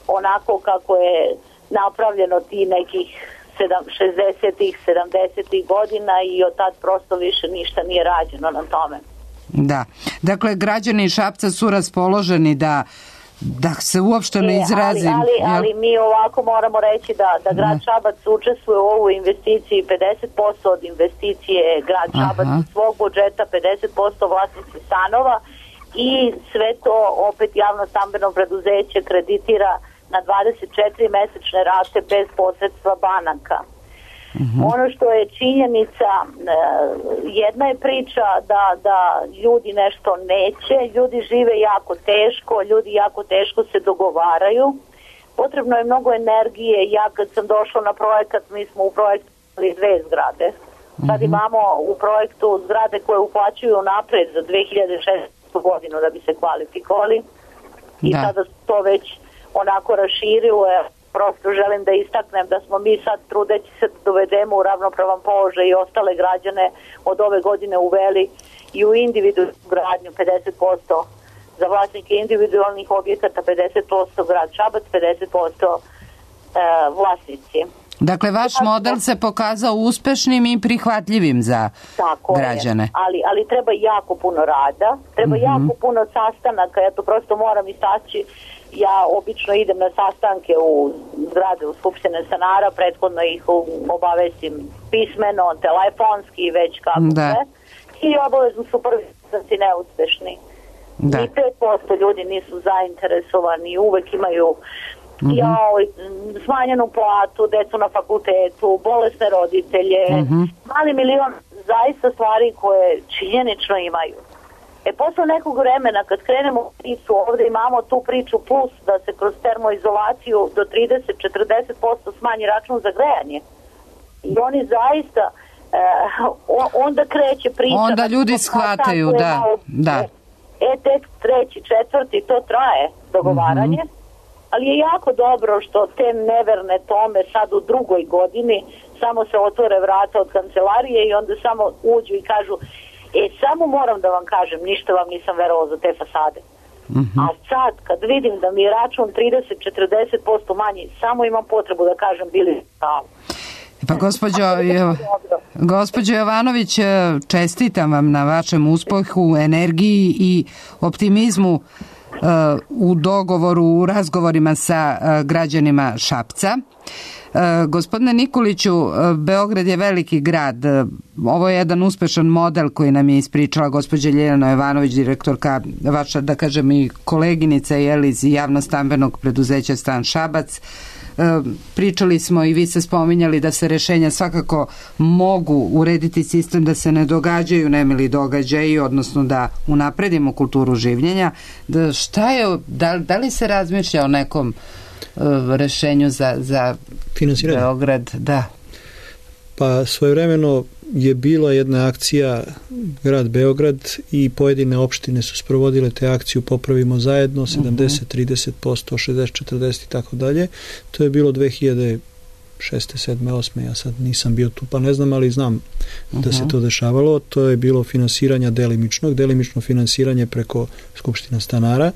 onako kako je napravljeno ti nekih 60-ih, 70-ih godina i od tad prosto više ništa nije rađeno na tome. Da, dakle građani Šapca su raspoloženi da se uopšte ne izrazim. Ali mi ovako moramo reći da grad Šabac učestvuje u ovu investiciji, 50% od investicije grad Šabac iz svog budžeta, 50% vlasnici stanova i sve to opet javno stambeno preduzeće kreditira na 24 mesečne rate bez posredstva banaka. Ono što je činjenica, jedna je priča da ljudi nešto neće, ljudi žive jako teško, ljudi jako teško se dogovaraju, potrebno je mnogo energije. Ja kad sam došla na projekat, mi smo u projektu imali 2 zgrade, sad imamo u projektu zgrade koje uplaćuju napred za 2016. godinu da bi se kvalifikovali i sada to već onako raširilo. Prosto želim da istaknem da smo mi sad trudeći se dovedemo u ravnopravan položaj i ostale građane od ove godine uveli i u individualnu gradnju 50% za vlasnike individualnih objekata, 50% grad Šabac, 50% vlasnici. Dakle, vaš model se pokazao uspešnim i prihvatljivim za građane. Ali treba jako puno rada, treba jako puno sastanaka, ja to prosto moram istaći. Ja obično idem na sastanke u zgrade u Skupštine stanara, prethodno ih obavestim pismeno, telefonski i već kako sve. I obavezno su prvi sastanci neuspešni. I 5% ljudi nisu zainteresovani, uvek imaju smanjenu platu, decu na fakultetu, bolesne roditelje, mali milion zaista stvari koje činjenično imaju. Posle nekog vremena kad krenemo priču, ovde imamo tu priču plus da se kroz termoizolaciju do 30-40% smanji račun za grejanje. I oni zaista onda kreće priča. Onda ljudi shvataju, da. Tek 3., 4. to traje dogovaranje, ali je jako dobro što te neverne tome sad u 2. godini samo se otvore vrata od kancelarije i onda samo uđu i kažu samo moram da vam kažem, ništa vam nisam verovala za te fasade. A sad, kad vidim da mi je račun 30-40% manji, samo imam potrebu da kažem bili pravo. Pa gospođo Jovanović, čestitam vam na vašem uspehu, energiji i optimizmu u dogovoru, u razgovorima sa građanima Šapca. Gospodine Nikoliću, Beograd je veliki grad. Ovo je jedan uspešan model koji nam je ispričala gospođa Ljiljana Jovanović, direktorka vaša, da kažem, i koleginica iz javno stambenog preduzeća Stan Šabac. Pričali smo i vi ste spominjali da se rešenja svakako mogu urediti sistem da se ne događaju nemili događaji, odnosno da unapredimo kulturu življenja. Šta je, da li se razmišlja o nekom rešenju za Beograd? Da. Pa svojevremeno je bila jedna akcija grad Beograd i pojedine opštine su sprovodile te akciju Popravimo zajedno 70-30%, 60-40 i tako dalje. To je bilo 2006. 7. 8. Ja sad nisam bio tu pa ne znam, ali znam da se to dešavalo. To je bilo finansiranja delimično finansiranje preko Skupština stanara.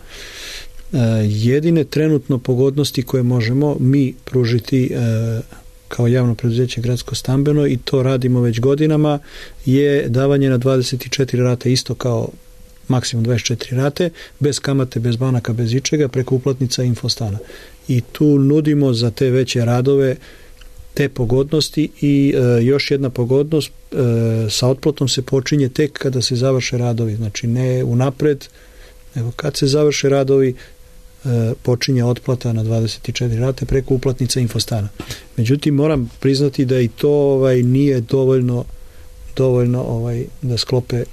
Jedine trenutno pogodnosti koje možemo mi pružiti kao javno preduzeće gradsko stambeno i to radimo već godinama je davanje na 24 rate isto kao maksimum 24 rate, bez kamate, bez banaka, bez ičega, preko uplatnica Infostana. I tu nudimo za te veće radove te pogodnosti i još jedna pogodnost, sa otplatom se počinje tek kada se završe radovi, znači ne unapred, nego kad se završe radovi počinje otplata na 24 rate preko uplatnica Infostana. Međutim, moram priznati da i to nije dovoljno da sklope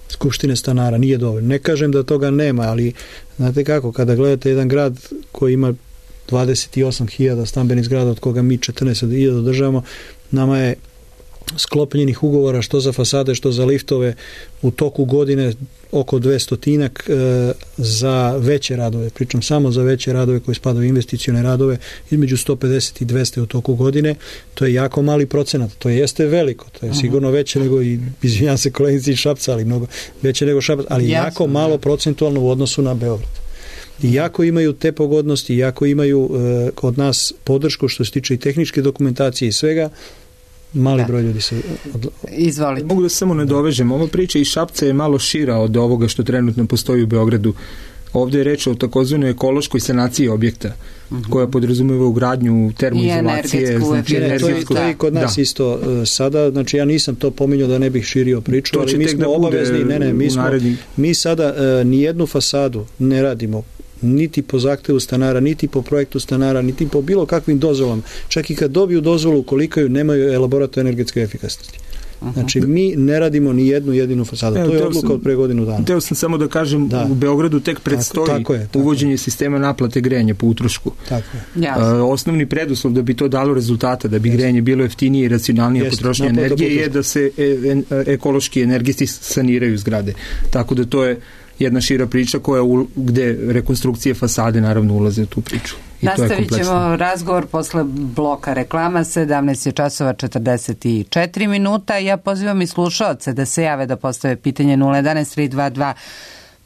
skupštine stanara, nije dovoljno. Ne kažem da toga nema, ali znate kako, kada gledate jedan grad koji ima 28.000 stambenih zgrada, od koga mi 14.000 održavamo, nama je sklopljenih ugovora što za fasade, što za liftove u toku godine oko 200 za veće radove, pričam samo za veće radove koji spadaju u investicione radove, između 150 i 200 u toku godine. To je jako mali procenat, to jeste veliko, to je sigurno veće nego i, izvinjam se koleginici iz Šapca, ali mnogo veće nego Šapac, ali jako malo procentualno u odnosu na Beograd. I jako imaju te pogodnosti, jako imaju od nas podršku što se tiče i tehničke dokumentacije i svega. Mali broj ljudi se Izvolite. Mogu da se samo nadovežem. Ova priča iz Šapca je malo šira od ovoga što trenutno postoji u Beogradu. Ovdje je reč o takozvanoj ekološkoj sanaciji objekta, koja podrazumeva ugradnju termoizolacije, znači energetsku. To je kod nas isto sada, znači ja nisam to pominjao da ne bih širio priču, ali mi smo obavezni, mi sada nijednu fasadu ne radimo niti po zahtevu stanara, niti po projektu stanara, niti po bilo kakvim dozvolama. Čak i kad dobiju dozvolu, koliko nemaju elaborat energetske efikasnosti. Znači, mi ne radimo ni jednu jedinu fasadu. To je odluka od pre godinu dana. Teo sam samo da kažem, u Beogradu tek predstoji uvođenje sistema naplate grejanja po utrošku. Osnovni preduslov da bi to dalo rezultata, da bi grejanje bilo jeftinije i racionalnije potrošnje energije je da se ekološki energetisti saniraju zgrade. Tako da to je jedna šira priča gde rekonstrukcije fasade naravno ulaze u tu priču. Nastavit ćemo razgovor posle bloka reklama. 17:44. Ja pozivam i slušaoce da se jave da postave pitanje 011 322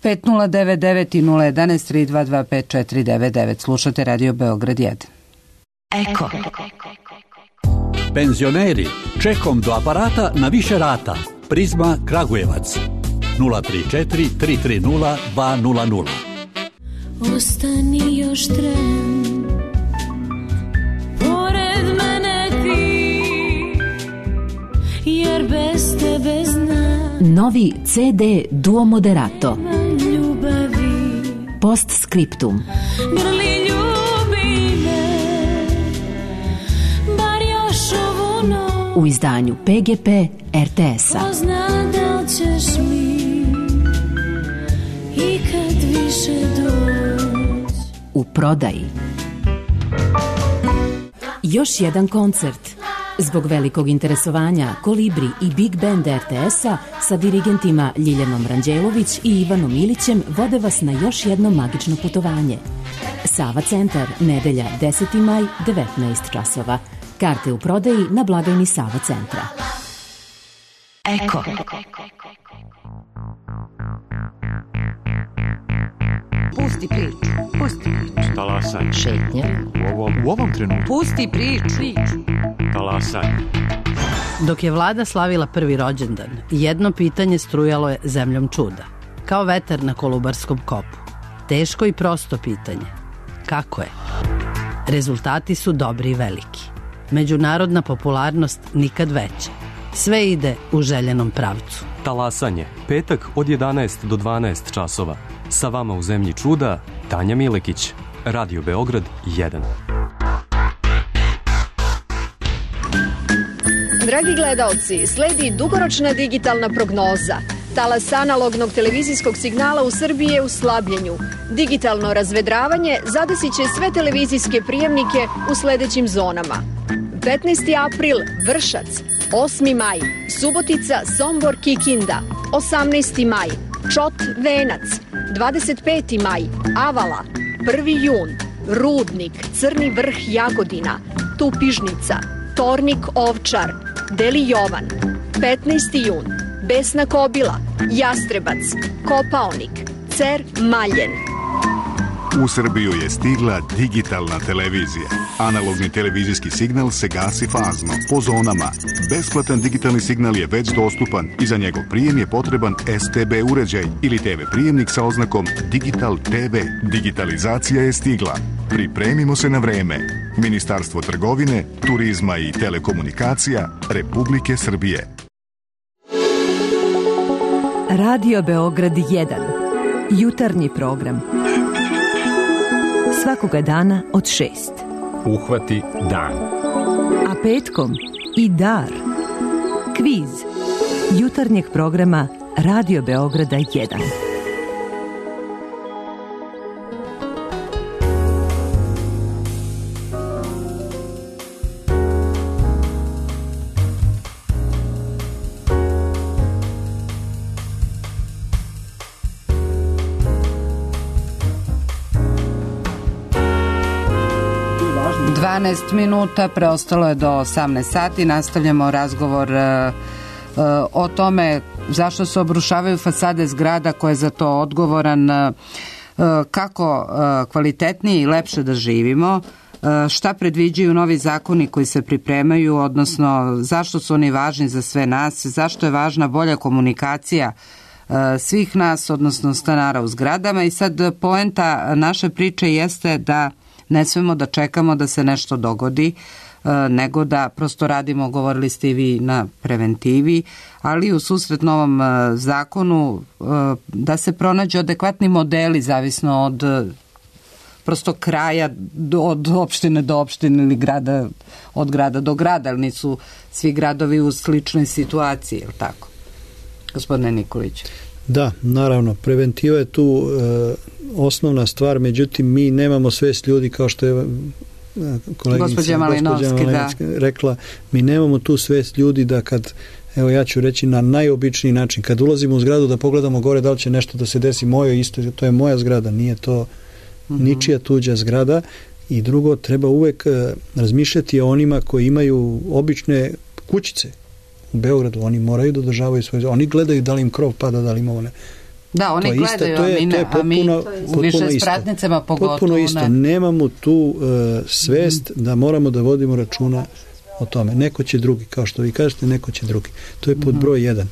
5099 i 011 322 5499. Slušate Radio Beograd 1. Eko. Penzioneri, čekom do aparata na više rata. Prizma Kragujevac 034 330 200. Ostani još tren, pored mene ti, jer bez tebe znam. Novi CD Duo Moderato. Ljubavi. Postscriptum. Grli ljubi me, bar još ovu noć. U izdanju PGP RTS-a. Pozna da li ćeš mi i kad više doći. U prodaji. Još jedan koncert. Zbog velikog interesovanja Kolibri i Big Band RTS-a sa dirigentima Ljiljanom Ranđelović i Ivanom Ilićem vode vas na još jedno magično putovanje. Sava centar, nedelja 10. maj, 19 časova. Karte u prodaji na blagajni Sava centra. Eko. Pusti priču. Talasaj. Šetnja. U ovom trenutku. Pusti priču. Talasaj. Dok je vlada slavila prvi rođendan, jedno pitanje strujalo je zemljom čuda. Kao vetar na Kolubarskom kopu. Teško i prosto pitanje. Kako je? Rezultati su dobri i veliki. Međunarodna popularnost nikad veća. Sve ide u željenom pravcu. Talasanje, petak od 11 do 12 časova. Sa vama u zemlji čuda, Tanja Milekić, Radio Beograd 1. Dragi gledaoci, sledi dugoročna digitalna prognoza. Talas analognog televizijskog signala u Srbiji je u slabljenju. Digitalno razvedravanje zadesit će sve televizijske prijemnike u sledećim zonama. 15. april Vršac, 8. maj Subotica, Sombor, Kikinda, 18. maj Čot, Venac, 25. maj Avala, 1. jun Rudnik, Crni vrh, Jagodina, Tupižnica, Tornik, Ovčar, Deli Jovan, 15. jun Besna Kobila, Jastrebac, Kopaonik, Cer, Maljen. U Srbiju je stigla digitalna televizija. Analogni televizijski signal se gasi fazno, po zonama. Besplatan digitalni signal je već dostupan i za njegov prijem je potreban STB uređaj ili TV prijemnik sa oznakom Digital TV. Digitalizacija je stigla. Pripremimo se na vreme. Ministarstvo trgovine, turizma i telekomunikacija Republike Srbije. Radio Beograd 1. Jutarnji program. Svakoga dana od 6. Uhvati dan. A petkom i dar. Kviz. Jutarnjeg programa Radio Beograda 1. 12 minuta, preostalo je do 18 sati. Nastavljamo razgovor o tome zašto se obrušavaju fasade zgrada, ko je za to odgovoran, kako kvalitetnije i lepše da živimo, šta predviđaju novi zakoni koji se pripremaju, odnosno zašto su oni važni za sve nas, zašto je važna bolja komunikacija svih nas, odnosno stanara u zgradama. I sad poenta naše priče jeste da ne smemo da čekamo da se nešto dogodi, nego da prosto radimo, govorili ste i vi, na preventivi, ali u susret novom zakonu da se pronađu adekvatni modeli, zavisno od prosto kraja, od opštine do opštine ili grada, od grada do grada, ali nisu svi gradovi u sličnoj situaciji, je li tako? Gospodine Nikolić. Da, naravno, preventiva je tu osnovna stvar, međutim mi nemamo svest ljudi, kao što je gospođa Malinovski rekla, mi nemamo tu svest ljudi da kad, evo ja ću reći na najobičniji način, kad ulazimo u zgradu da pogledamo gore da li će nešto da se desi moje, isto to je moja zgrada, nije to ničija tuđa zgrada. I drugo, treba uvek razmišljati o onima koji imaju obične kućice u Beogradu, oni moraju da održavaju svoje, oni gledaju da li im krov pada, da li ima one. Da, oni gledaju, a mi više s pratnicama pogotovo. Potpuno isto, nemamo tu svest da moramo da vodimo računa o tome. Neko će drugi, kao što vi kažete, neko će drugi. To je pod broj 1.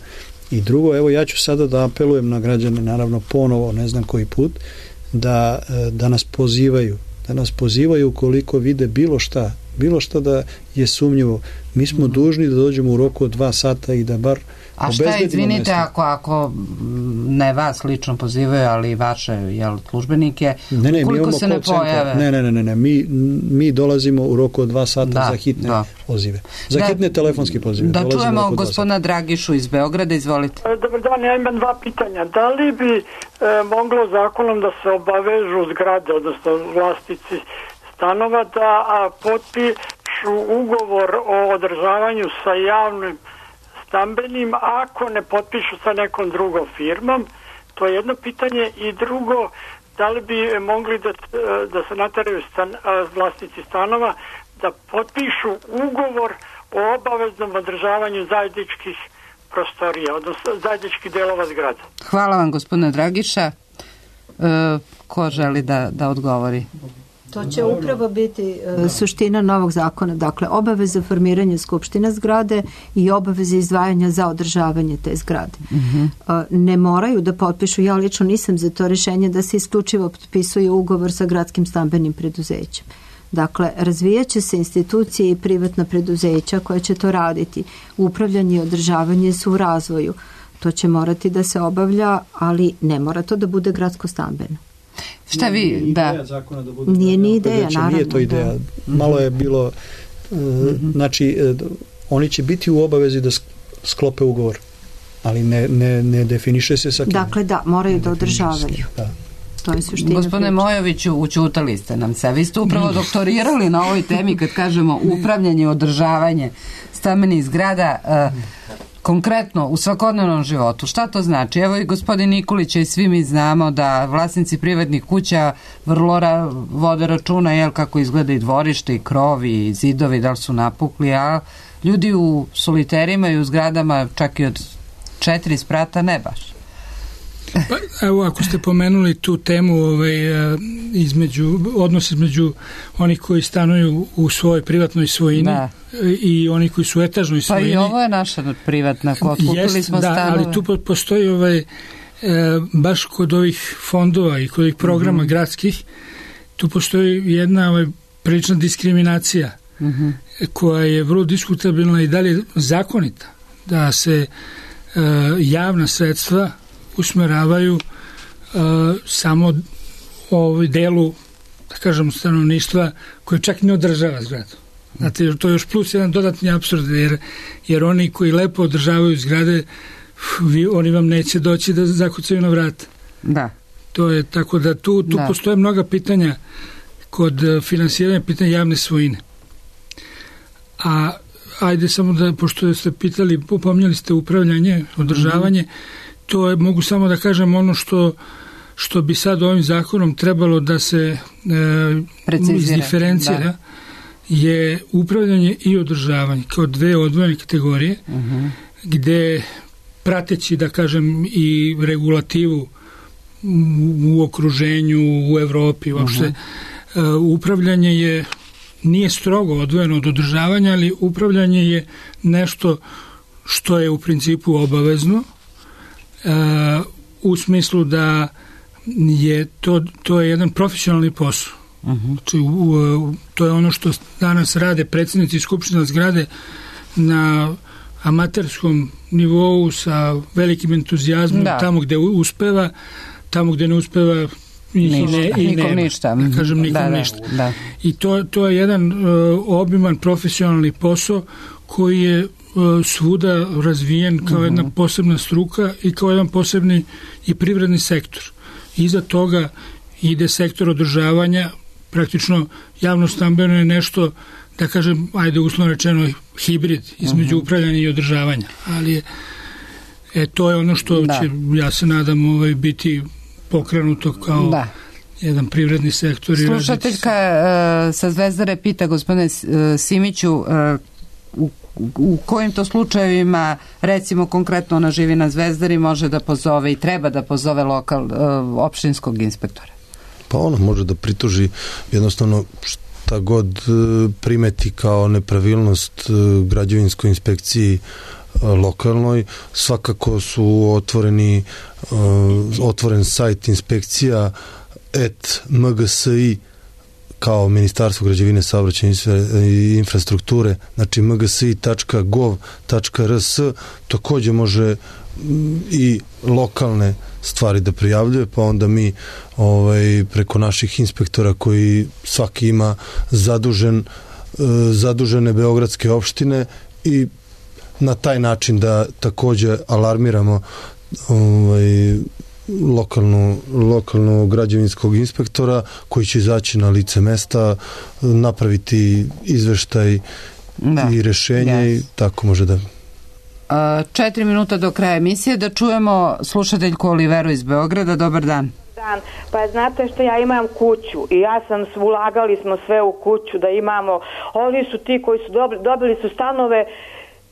I drugo, evo ja ću sada da apelujem na građane, naravno ponovo, ne znam koji put, da nas pozivaju ukoliko vide bilo šta da je sumnjivo. Mi smo dužni da dođemo u roku od 2 sata i da bar a šta, izvinite, ako ne vas lično pozivaju, ali vaše službenike, ukoliko se ne pojave? Ne, mi dolazimo u roku od 2 sata za hitne pozive. Za hitne telefonske pozive. Da čujemo gospodina Dragišu iz Beograda, izvolite. Dobar dan, ja imam 2 pitanja. Da li bi moglo zakonom da se obavežu zgrade, odnosno vlasnici stanova, da potpišu ugovor o održavanju sa javnim stambenim, ako ne potpišu sa nekom drugom firmom? To je jedno pitanje. I drugo, da li bi mogli da se nateraju vlasnici stanova da potpišu ugovor o obaveznom održavanju zajedničkih prostorija, odnosno zajedničkih delova zgrada? Hvala vam, gospodine Dragiša. Ko želi da odgovori? To će upravo biti suština novog zakona, dakle obaveza formiranja skupština zgrade i obaveza izdvajanja za održavanje te zgrade. Ne moraju da potpišu, ja lično nisam za to rešenje da se isključivo potpisuje ugovor sa gradskim stambenim preduzećem. Dakle, razvijaće se institucije i privatna preduzeća koja će to raditi. Upravljanje i održavanje su u razvoju. To će morati da se obavlja, ali ne mora to da bude gradsko stambeno. Šta vi, Nije ni ideja, naravno. Nije to ideja. Malo je bilo, znači, oni će biti u obavezi da sklope ugovor, ali ne definiše se sa kim. Dakle, da, moraju da održavaju. Da. To je suština. Gospodine Mojoviću, učutali ste nam se. Vi ste upravo doktorirali na ovoj temi kad kažemo upravljanje i održavanje stambenih zgrada konkretno u svakodnevnom životu. Šta to znači? Evo i gospodin Nikolić i svi mi znamo da vlasnici privatnih kuća vrlo vode računa kako izgleda i dvorište i krovi i zidovi, da li su napukli, a ljudi u soliterima i u zgradama čak i od 4 sprata ne baš. Pa, evo, ako ste pomenuli tu temu odnos između onih koji stanuju u svojoj privatnoj svojini i oni koji su u etažnoj svojini. Pa i ovo je naša privatna, kupili smo stanove. Ali tu postoji baš kod ovih fondova i kod ovih programa gradskih, tu postoji jedna prilična diskriminacija koja je vrlo diskutabilna i dalje zakonita, da se javna sredstva usmeravaju samo u delu, da kažem, stanovništva koje čak ne održava zgradu. Znate, to je još plus jedan dodatni apsurd, jer oni koji lepo održavaju zgrade, oni vam neće doći da zakucaju na vrata. Da. To je tako da tu postoje mnoga pitanja kod finansiranja, pitanja javne svojine. A ajde samo da, pošto ste pitali, pominjali ste upravljanje, održavanje, to je, mogu samo da kažem ono što bi sad ovim zakonom trebalo da se izdiferencira je upravljanje i održavanje kao dve odvojene kategorije, gde prateći, da kažem, i regulativu u okruženju, u Evropi uopšte, upravljanje nije strogo odvojeno od održavanja, ali upravljanje je nešto što je u principu obavezno, u smislu da je to je jedan profesionalni posao. Znači, to je ono što danas rade predsjednici skupština zgrade na amaterskom nivou sa velikim entuzijazmom, tamo gde uspeva, tamo gde ne uspeva nikom ništa. Da kažem, nikom ništa. I to je jedan obiman profesionalni posao koji je svuda razvijen kao jedna posebna struka i kao jedan posebni i privredni sektor. Iza toga ide sektor održavanja, praktično javno stambeno je nešto, da kažem, ajde uslovno rečeno, hibrid između upravljanja i održavanja, ali to je ono što će, ja se nadam, biti pokrenuto kao jedan privredni sektor. Slušateljka sa Zvezdare pita, gospodine Simiću, u kojim to slučajevima, recimo konkretno ona živi na Zvezdari, može da pozove i treba da pozove opštinskog inspektora? Pa ona može da prituži jednostavno šta god primeti kao nepravilnost građevinskoj inspekciji lokalnoj. Svakako su otvoren sajt inspekcija @mgsi kao Ministarstvo građevine, saobraćaja i infrastrukture, znači mgsi.gov.rs, takođe može i lokalne stvari da prijavljuje, pa onda mi preko naših inspektora koji svaki ima zadužene beogradske opštine i na taj način da takođe alarmiramo lokalno građevinskog inspektora koji će izaći na lice mesta, napraviti izveštaj i rešenje i tako može da... 4 minuta do kraja emisije, da čujemo slušateljku Oliveru iz Beograda. Dobar dan. Pa znate što, ja imam kuću i ulagali smo sve u kuću da imamo, oni su ti koji su dobili su stanove,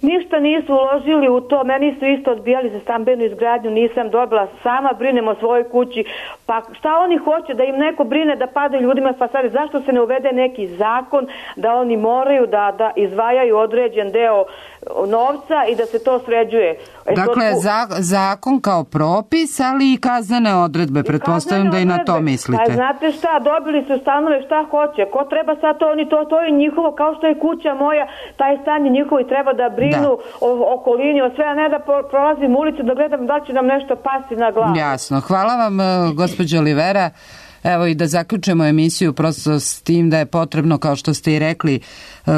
ništa nisu uložili u to, meni su isto odbijali za stambenu izgradnju, nisam dobila, sama brinem o svojoj kući, pa šta oni hoće, da im neko brine da padaju ljudima fasade, zašto se ne uvede neki zakon da oni moraju da izdvajaju određen deo novca i da se to sređuje. Dakle, zakon kao propis, ali i kaznene odredbe, pretpostavljam da i na to mislite. Pa znate šta, dobili su stanove, šta hoće, ko treba sad to je njihovo, kao što je kuća moja, taj stan je njihovo i treba da brinu o okolini, o sve, a ne da prolazim ulicu da gledam da li će nam nešto pasti na glavu. Jasno, hvala vam, gospođo Olivera. Evo i da zaključimo emisiju prosto s tim da je potrebno, kao što ste i rekli,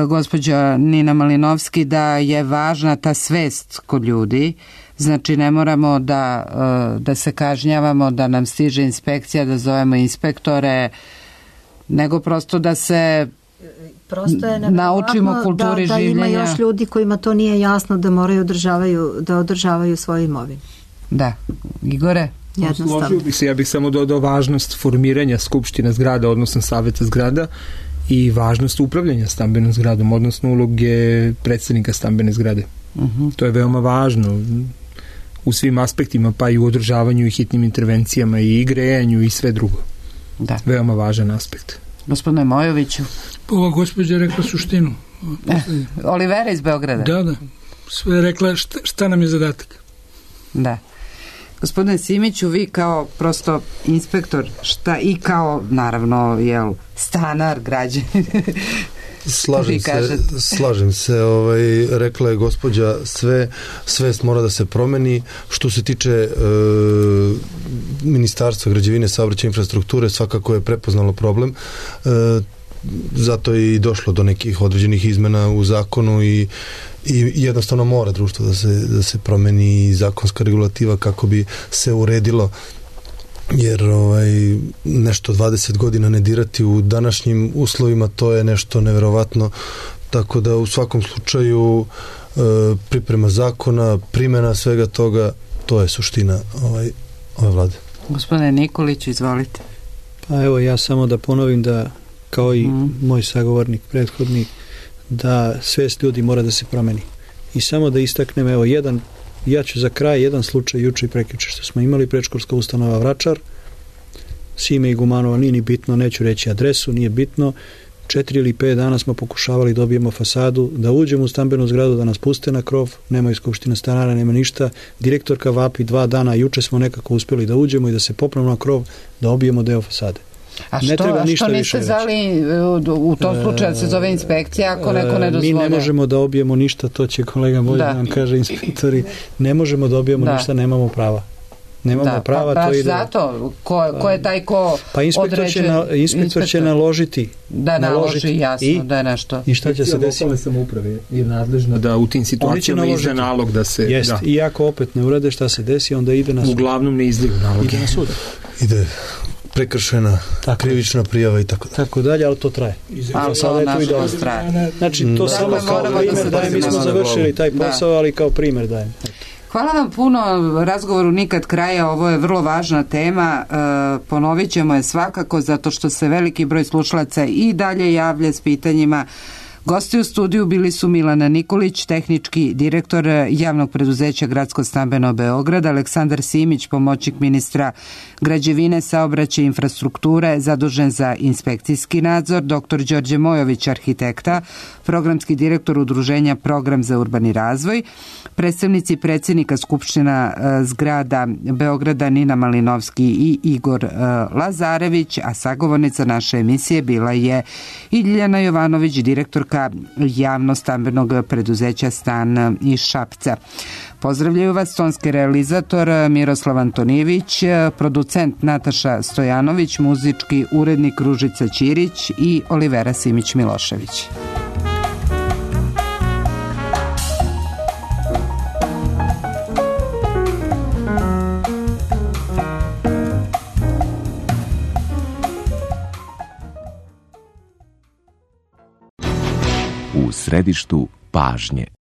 gospođa Nina Malinovski, da je važna ta svest kod ljudi. Znači ne moramo da se kažnjavamo, da nam stiže inspekcija, da zovemo inspektore, nego prosto da se naučimo kulturi življenja. Da ima još ljudi kojima to nije jasno da moraju da održavaju svoju imovinu. Da. Igore? Složio bih se, ja bih samo dodao važnost formiranja skupština zgrada, odnosno saveta zgrada i važnost upravljanja stambenom zgradom, odnosno uloge predsednika stambene zgrade. To je veoma važno u svim aspektima, pa i u održavanju i hitnim intervencijama i grejanju i sve drugo. Da. Veoma važan aspekt. Gospodine Mojoviću. Ova gospođa je rekla suštinu. Olivera iz Beograda. Da. Sve je rekla šta nam je zadatak. Da. Gospodine Simiću, vi kao prosto inspektor, šta i kao, naravno, stanar, građanin. Slažem se, rekla je gospođa, svest mora da se promeni. Što se tiče Ministarstva građevine, saobraćaja i infrastrukture, svakako je prepoznalo problem, zato je i došlo do nekih određenih izmena u zakonu i jednostavno mora društvo da se promeni zakonska regulativa kako bi se uredilo, jer nešto 20 godina ne dirati u današnjim uslovima, to je nešto neverovatno, tako da u svakom slučaju priprema zakona, primjena svega toga, to je suština ove vlade. Gospodine Nikolić, izvolite. Pa evo, ja samo da ponovim da, kao i moj sagovornik prethodni, da svest ljudi mora da se promeni. I samo da istaknem, evo, ja ću za kraj jedan slučaj juče i prekjuče što smo imali, predškolska ustanova Vračar, Sime i Gumanova, nije ni bitno, neću reći adresu, nije bitno, 4 ili 5 dana smo pokušavali da dobijemo fasadu, da uđemo u stambenu zgradu, da nas puste na krov, nema skupština stanara, nema ništa, direktorka vapi 2 dana, juče smo nekako uspjeli da uđemo i da se popravimo na krov, da obijemo deo fasade. A što niste zvali u tom slučaju da se zove inspekcija ako neko ne dozvoli? Mi ne možemo da obijemo ništa, to će kolega Vojin nam kaže, inspektori, ne možemo da obijemo ništa, nemamo prava. Nemamo prava, pa to ide. Zato, ko je taj ko određuje? Inspektor će naložiti. Da naloži, jasno, da je nešto. I šta će se desiti? Lokalne samouprave je nadležna da u tim situacijama izda nalog da se... Jest, i ako opet ne urade šta se desi, onda ide na sud. Uglavnom ne izdaju nalog. Ide na sud. Ide prekršena, krivična prijava i tako dalje, ali to traje. Ali to nažalost traje. Znači, to samo kao primjer dajem, mi smo završili taj posao, ali kao primjer dajem. Hvala vam puno, razgovoru nikad kraja, ovo je vrlo važna tema, ponovit ćemo je svakako zato što se veliki broj slušalaca i dalje javlja s pitanjima. Gosti u studiju bili su Milana Nikolić, tehnički direktor javnog preduzeća Gradsko stambeno Beograd, Aleksandar Simić, pomoćnik ministra građevine, saobraćaja i infrastrukture, zadužen za inspekcijski nadzor, dr. Đorđe Mojović, arhitekta, programski direktor udruženja Program za urbani razvoj, predstavnici predsjednika Skupština zgrada Beograda Nina Malinovski i Igor Lazarević, a sagovornica naše emisije bila je i Ljiljana Jovanović, direktorka javno stambenog preduzeća Stan iz Šapca. Pozdravljaju vas tonski realizator Miroslav Antonijević, producent Nataša Stojanović, muzički urednik Ružica Ćirić i Olivera Simić-Milošević. U središtu pažnje.